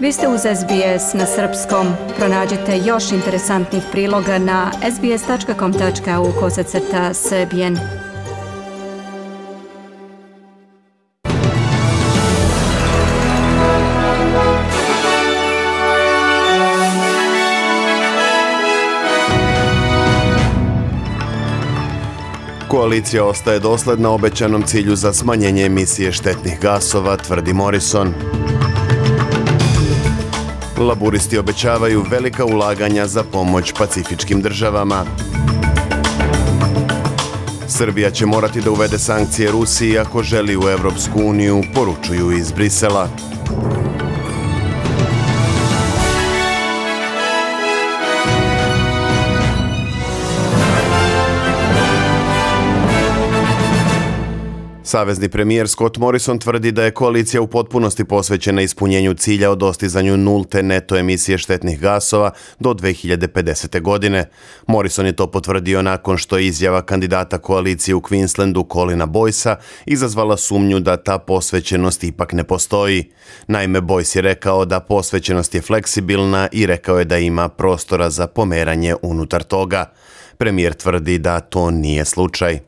Vi ste uz SBS na srpskom. Pronađite još interesantnih priloga na sbs.com.au/srbijen. Koalicija ostaje dosledna obećanom cilju za smanjenje emisije štetnih gasova, tvrdi Morrison. Laburisti obećavaju velika ulaganja za pomoć pacifičkim državama. Srbija će morati da uvede sankcije Rusiji ako želi u Evropsku uniju, poručuju iz Brisela. Savezni premijer Scott Morrison tvrdi da je koalicija u potpunosti posvećena ispunjenju cilja o dostizanju nulte neto emisije štetnih gasova do 2050. godine. Morrison je to potvrdio nakon što je izjava kandidata koalicije u Queenslandu Colina Boycea izazvala sumnju da ta posvećenost ipak ne postoji. Naime, Boyce je rekao da posvećenost je fleksibilna i rekao je da ima prostora za pomeranje unutar toga. Premijer tvrdi da to nije slučaj.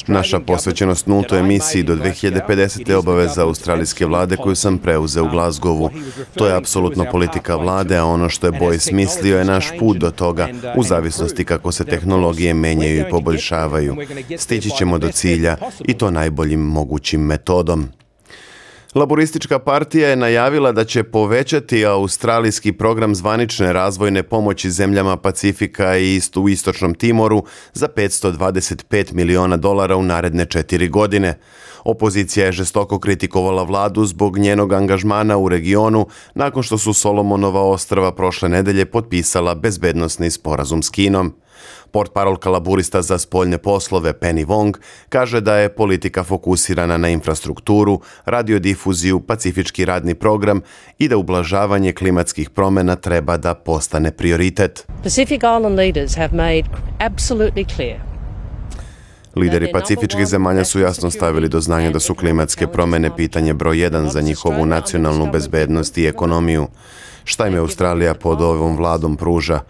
Naša posvećenost nultoj emisiji do 2050. je obaveza australijske vlade koju sam preuzeo u Glasgowu. To je apsolutno politika vlade, a ono što je Boyce mislio je naš put do toga, u zavisnosti kako se tehnologije menjaju i poboljšavaju. Stići ćemo do cilja i to najboljim mogućim metodom. Laboristička partija je najavila da će povećati australijski program zvanične razvojne pomoći zemljama Pacifika i u Istočnom Timoru za $525 miliona u naredne 4 godine. Opozicija je žestoko kritikovala vladu zbog njenog angažmana u regionu nakon što su Solomonova ostrva prošle nedelje potpisala bezbednosni sporazum s Kinom. Portparolka laburista za spoljne poslove Penny Wong kaže da je politika fokusirana na infrastrukturu, radiodifuziju, pacifički radni program i da ublažavanje klimatskih promjena treba da postane prioritet. Pacific Island leaders have made absolutely clear. Lideri pacifičkih zemalja su jasno stavili do znanja da su klimatske promjene pitanje broj 1 za njihovu nacionalnu bezbednost i ekonomiju. Šta im je Australija pod ovom vladom pruža?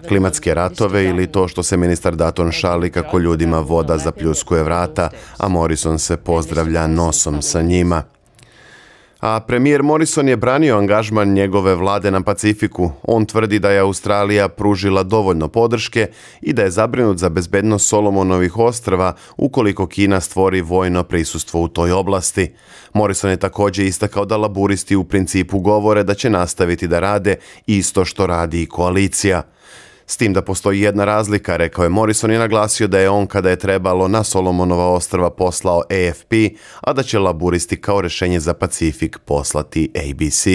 Klimatske ratove ili to što se ministar Dutton šali kako ljudima voda zapljuskuje vrata, a Morrison se pozdravlja nosom sa njima? A premijer Morrison je branio angažman njegove vlade na Pacifiku. On tvrdi da je Australija pružila dovoljno podrške i da je zabrinut za bezbednost Solomonovih ostrva ukoliko Kina stvori vojno prisustvo u toj oblasti. Morrison je također istakao da laburisti u principu govore da će nastaviti da rade isto što radi i koalicija. S tim da postoji jedna razlika, rekao je Morrison i naglasio da je on kada je trebalo na Solomonova ostrva poslao AFP, a da će laburisti kao rješenje za Pacifik poslati ABC.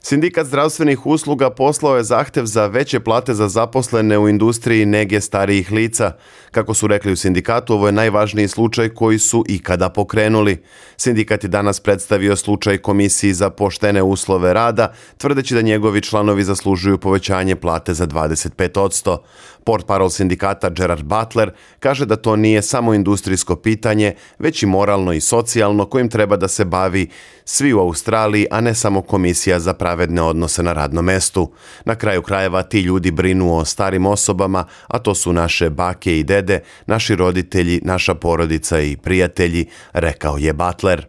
Sindikat zdravstvenih usluga poslao je zahtev za veće plate za zaposlene u industriji nege starijih lica. Kako su rekli u sindikatu, ovo je najvažniji slučaj koji su ikada pokrenuli. Sindikat je danas predstavio slučaj Komisiji za poštene uslove rada, tvrdeći da njegovi članovi zaslužuju povećanje plate za 25%. Portparol sindikata Gerard Butler kaže da to nije samo industrijsko pitanje, već i moralno i socijalno kojim treba da se bavi svi u Australiji, a ne samo Komisija za pravedne odnose na radnom mestu. Na kraju krajeva ti ljudi brinu o starim osobama, a to su naše bake i dede, naši roditelji, naša porodica i prijatelji, rekao je Butler.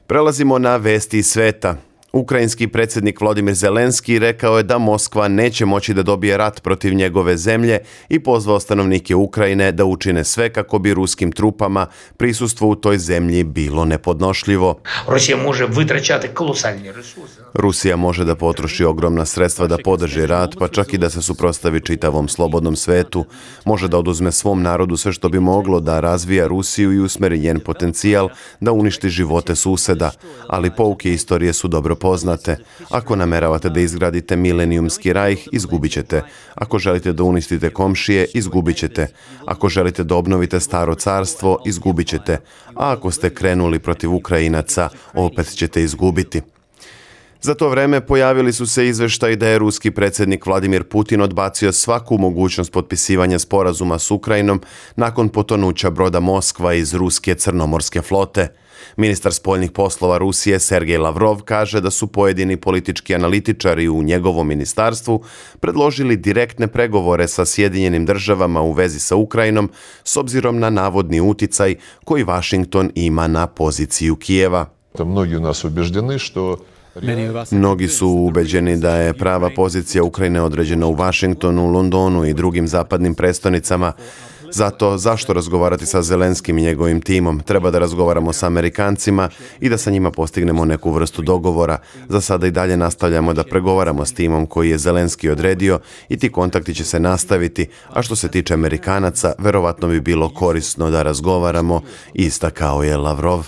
Prelazimo na vesti iz sveta. Ukrajinski predsjednik Volodymyr Zelenski rekao je da Moskva neće moći da dobije rat protiv njegove zemlje i pozvao stanovnike Ukrajine da učine sve kako bi ruskim trupama prisustvo u toj zemlji bilo nepodnošljivo. Rusija može da potroši ogromna sredstva da podrži rat, pa čak i da se suprotstavi čitavom slobodnom svetu. Može da oduzme svom narodu sve što bi moglo da razvija Rusiju i usmeri njen potencijal da uništi živote suseda, ali pouke istorije su dobro poznate. Ako nameravate da izgradite milenijumski rajh, izgubit ćete. Ako želite da uništite komšije, izgubit ćete. Ako želite da obnovite staro carstvo, izgubit ćete. A ako ste krenuli protiv Ukrajinaca, opet ćete izgubiti. Za to vreme pojavili su se izveštaji da je ruski predsjednik Vladimir Putin odbacio svaku mogućnost potpisivanja sporazuma s Ukrajinom nakon potonuća broda Moskva iz ruske crnomorske flote. Ministar spoljnih poslova Rusije Sergej Lavrov kaže da su pojedini politički analitičari u njegovom ministarstvu predložili direktne pregovore sa Sjedinjenim državama u vezi sa Ukrajinom s obzirom na navodni uticaj koji Washington ima na poziciju Kijeva. Mnogi su ubeđeni da je prava pozicija Ukrajine određena u Washingtonu, Londonu i drugim zapadnim prestonicama. Zato zašto razgovarati sa Zelenskim i njegovim timom? Treba da razgovaramo sa Amerikancima i da sa njima postignemo neku vrstu dogovora. Za sada i dalje nastavljamo da pregovaramo s timom koji je Zelenski odredio i ti kontakti će se nastaviti, a što se tiče Amerikanaca, verovatno bi bilo korisno da razgovaramo, istakao je Lavrov.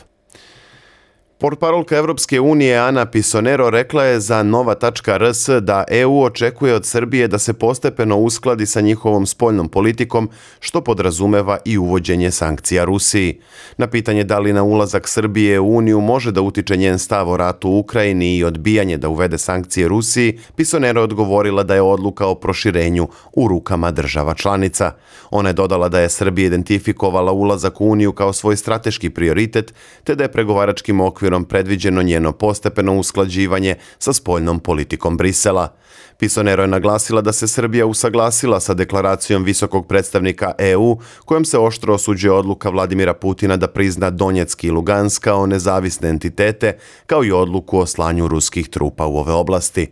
Portparolka Evropske unije Ana Pisonero rekla je za Nova.rs da EU očekuje od Srbije da se postepeno uskladi sa njihovom spoljnom politikom, što podrazumeva i uvođenje sankcija Rusiji. Na pitanje da li na ulazak Srbije u Uniju može da utiče njen stav o ratu u Ukrajini i odbijanje da uvede sankcije Rusiji, Pisonero je odgovorila da je odluka o proširenju u rukama država članica. Ona je dodala da je Srbija identifikovala ulazak u Uniju kao svoj strateški prioritet, te da je pregovaračkim okvirom predviđeno njeno postepeno usklađivanje sa spoljnom politikom Brisela. Pisonero je naglasila da se Srbija usaglasila sa deklaracijom visokog predstavnika EU, kojom se oštro osuđuje odluka Vladimira Putina da prizna Donjeck i Lugansk kao nezavisne entitete, kao i odluku o slanju ruskih trupa u ove oblasti.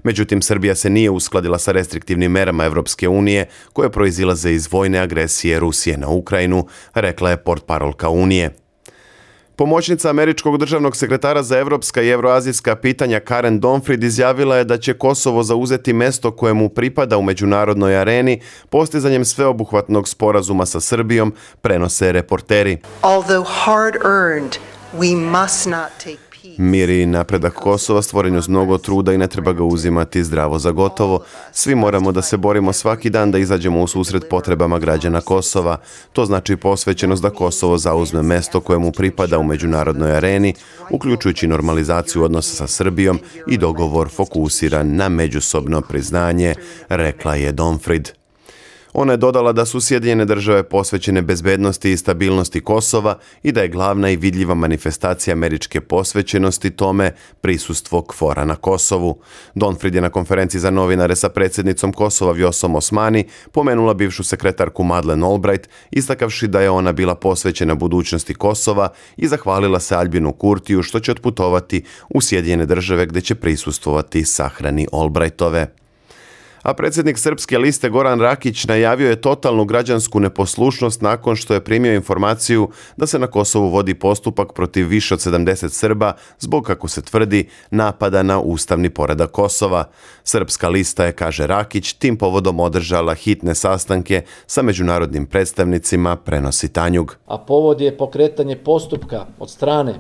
Međutim, Srbija se nije uskladila sa restriktivnim merama Evropske unije koje proizilaze iz vojne agresije Rusije na Ukrajinu, rekla je portparolka Unije. Pomoćnica američkog državnog sekretara za evropska i evroazijska pitanja Karen Donfrid izjavila je da će Kosovo zauzeti mesto koje mu pripada u međunarodnoj areni postizanjem sveobuhvatnog sporazuma sa Srbijom, prenose reporteri. Mir i napredak Kosova stvoren uz mnogo truda i ne treba ga uzimati zdravo za gotovo. Svi moramo da se borimo svaki dan da izađemo u susret potrebama građana Kosova. To znači posvećenost da Kosovo zauzme mesto koje mu pripada u međunarodnoj areni, uključujući normalizaciju odnosa sa Srbijom i dogovor fokusiran na međusobno priznanje, rekla je Donfrid. Ona je dodala da su Sjedinjene države posvećene bezbednosti i stabilnosti Kosova i da je glavna i vidljiva manifestacija američke posvećenosti tome prisustvo KFOR-a na Kosovu. Donfrid je na konferenciji za novinare sa predsjednicom Kosova Vjosom Osmani pomenula bivšu sekretarku Madeleine Albright, istakavši da je ona bila posvećena budućnosti Kosova i zahvalila se Albinu Kurtiju što će otputovati u Sjedinjene države gdje će prisustvovati sahrani Albrightove. A predsjednik Srpske liste Goran Rakić najavio je totalnu građansku neposlušnost nakon što je primio informaciju da se na Kosovu vodi postupak protiv više od 70 Srba zbog, kako se tvrdi, napada na ustavni poredak Kosova. Srpska lista je, kaže Rakić, tim povodom održala hitne sastanke sa međunarodnim predstavnicima, prenosi Tanjug. A povod je pokretanje postupka od strane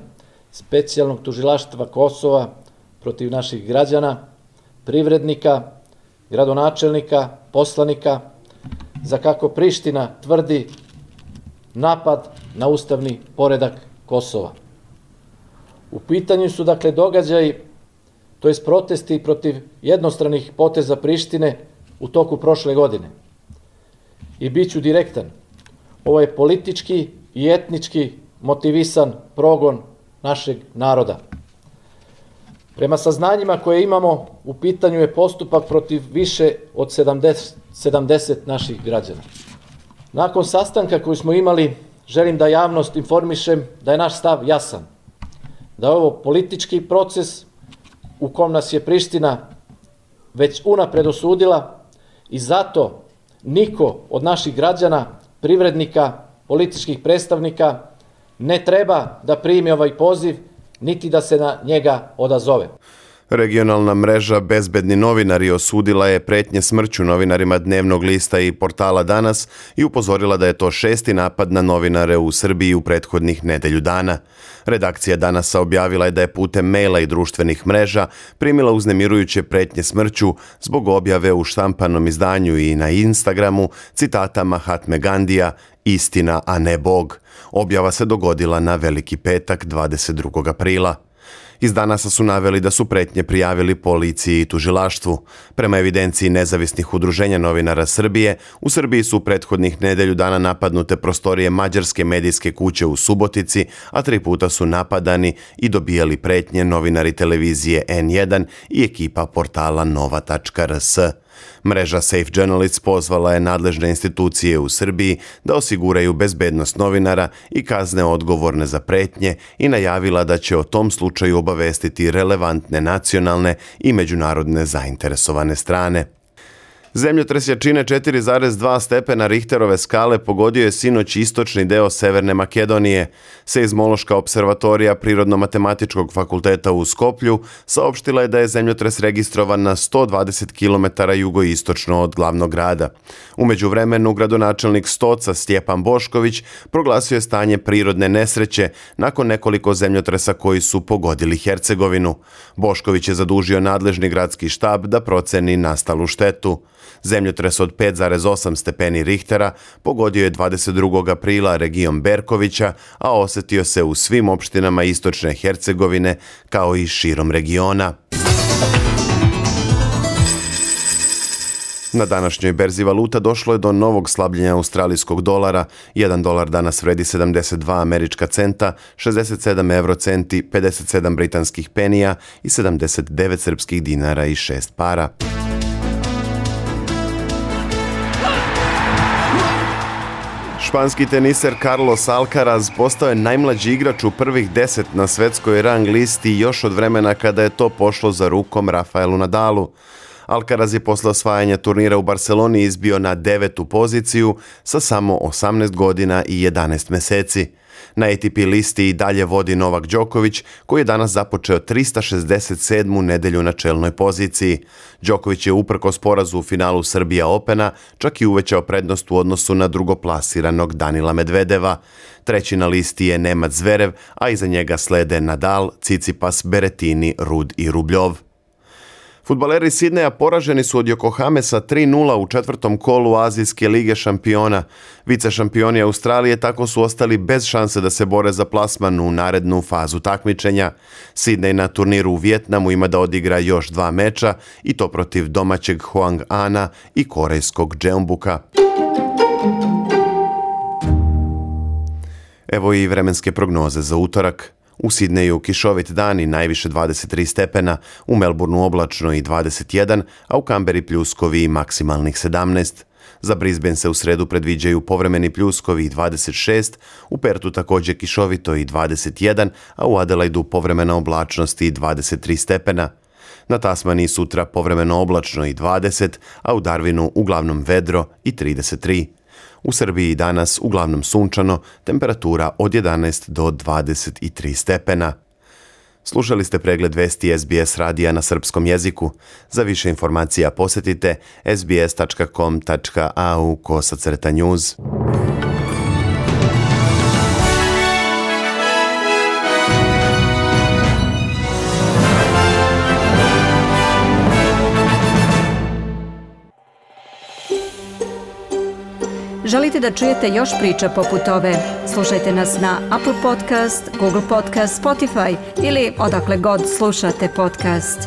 Specijalnog tužilaštva Kosova protiv naših građana, privrednika, gradonačelnika, poslanika, za, kako Priština tvrdi, napad na ustavni poredak Kosova. U pitanju su dakle događaji, to jest protesti protiv jednostranih poteza Prištine u toku prošle godine. I bit ću direktan, ovo je politički i etnički motivisan progon našeg naroda. Prema saznanjima koje imamo, u pitanju je postupak protiv više od 70 naših građana. Nakon sastanka koji smo imali, želim da javnost informišem da je naš stav jasan, da je ovo politički proces u kom nas je Priština već unapred osudila i zato niko od naših građana, privrednika, političkih predstavnika ne treba da primi ovaj poziv niti da se na njega odazove. Regionalna mreža Bezbedni novinari osudila je pretnje smrću novinarima Dnevnog lista i portala Danas i upozorila da je to 6. napad na novinare u Srbiji u prethodnih nedelju dana. Redakcija Danasa objavila je da je putem maila i društvenih mreža primila uznemirujuće pretnje smrću zbog objave u štampanom izdanju i na Instagramu citata Mahatme Gandija "Istina, a ne Bog". Objava se dogodila na Veliki petak 22. aprila. Iz Danasa su naveli da su pretnje prijavili policiji i tužilaštvu. Prema evidenciji nezavisnih udruženja novinara Srbije, u Srbiji su prethodnih nedelju dana napadnute prostorije mađarske medijske kuće u Subotici, a 3 puta su napadani i dobijali pretnje novinari televizije N1 i ekipa portala nova.rs. Mreža Safe Journalists pozvala je nadležne institucije u Srbiji da osiguraju bezbednost novinara i kazne odgovorne za pretnje i najavila da će o tom slučaju obavestiti relevantne nacionalne i međunarodne zainteresovane strane. Zemljotres jačine 4,2 stepena Richterove skale pogodio je sinoć istočni deo Severne Makedonije. Seizmološka observatorija Prirodno-matematičkog fakulteta u Skoplju saopštila je da je zemljotres registrovan na 120 km jugoistočno od glavnog grada. U međuvremenu gradonačelnik Stoca Stjepan Bošković proglasio je stanje prirodne nesreće nakon nekoliko zemljotresa koji su pogodili Hercegovinu. Bošković je zadužio nadležni gradski štab da proceni nastalu štetu. Zemljotres od 5,8 stepeni Richtera pogodio je 22. aprila region Berkovića, a osetio se u svim opštinama istočne Hercegovine kao i širom regiona. Na današnjoj berzi valuta došlo je do novog slabljenja australijskog dolara. 1 dolar danas vredi 72 američka centa, 67 eurocenti, 57 britanskih penija i 79 srpskih dinara i 6 para. Španski teniser Carlos Alcaraz postao je najmlađi igrač u prvih 10 na svetskoj rang listi još od vremena kada je to pošlo za rukom Rafaelu Nadalu. Alcaraz je posle osvajanja turnira u Barceloni izbio na 9. poziciju sa samo 18 godina i 11 meseci. Na ATP listi i dalje vodi Novak Đoković, koji je danas započeo 367. nedelju na čelnoj poziciji. Đoković je uprkos porazu u finalu Srbija Opena čak i uvećao prednost u odnosu na drugoplasiranog Danila Medvedeva. Treći na listi je Nemac Zverev, a iza njega slede Nadal, Cicipas, Berettini, Rud i Rubljov. Fudbaleri Sidneja poraženi su od Yokohame sa 3:0 u 4. kolu Azijske lige šampiona. Vice šampioni Australije tako su ostali bez šanse da se bore za plasman u narednu fazu takmičenja. Sidney na turniru u Vijetnamu ima da odigra još 2 meča i to protiv domaćeg Hoang Ana i korejskog Jeonbuka. Evo i vremenske prognoze za utorak. U Sidneju kišovit dan i najviše 23 stepena, u Melbourneu oblačno i 21, a u Kamberi pljuskovi i maksimalnih 17. Za Brisbane se u sredu predviđaju povremeni pljuskovi i 26, u Pertu također kišovito i 21, a u Adelaidu povremena oblačnost i 23 stepena. Na Tasmaniji sutra povremeno oblačno i 20, a u Darwinu uglavnom vedro i 33. U Srbiji danas uglavnom sunčano, temperatura od 11 do 23 stepena. Slušali ste pregled vesti SBS radija na srpskom jeziku. Za više informacija posjetite sbs.com.au/news. Želite da čujete još priča poput ove? Slušajte nas na Apple Podcast, Google Podcast, Spotify ili odakle god slušate podcast.